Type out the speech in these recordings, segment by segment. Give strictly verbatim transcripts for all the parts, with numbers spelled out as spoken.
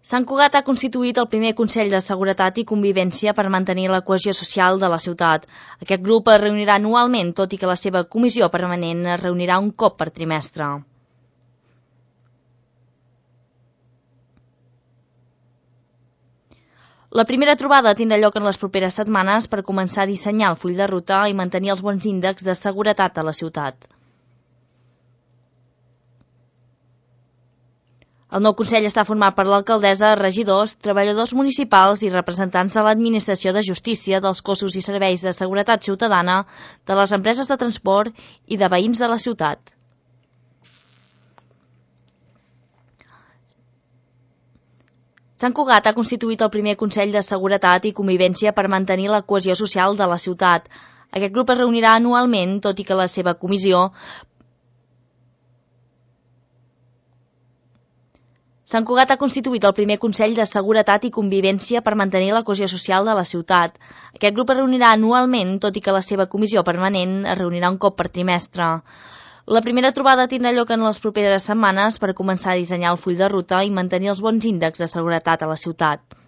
Sant Cugat ha constituït el primer Consell de Seguretat i Convivència per mantenir la cohesió social de la ciutat. Aquest grup es reunirà anualment, tot i que la seva comissió permanent es reunirà un cop per trimestre. La primera trobada tindrà lloc en les properes setmanes per començar a dissenyar el full de ruta i mantenir els bons índexs de seguretat a la ciutat. El nou Consell està format per l'alcaldessa, regidors, treballadors municipals i representants de l'Administració de Justícia, dels cossos i serveis de seguretat ciutadana, de les empreses de transport i de veïns de la ciutat. Sant Cugat ha constituït el primer Consell de Seguretat i Convivència per mantenir la cohesió social de la ciutat. Aquest grup es reunirà anualment, tot i que la seva comissió Sant Cugat ha constituït el primer Consell de Seguretat i Convivència per mantenir la cohesió social de la ciutat. Aquest grup es reunirà anualment, tot i que la seva comissió permanent es reunirà un cop per trimestre. La primera trobada tindrà lloc en les properes setmanes per començar a dissenyar el full de ruta i mantenir els bons índexs de seguretat a la ciutat.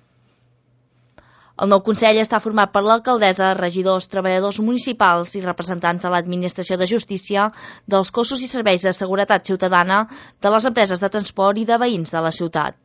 El nou Consell està format per l'alcaldessa, regidors, treballadors municipals i representants de l'Administració de Justícia, dels cossos i serveis de seguretat ciutadana, de les empreses de transport i de veïns de la ciutat.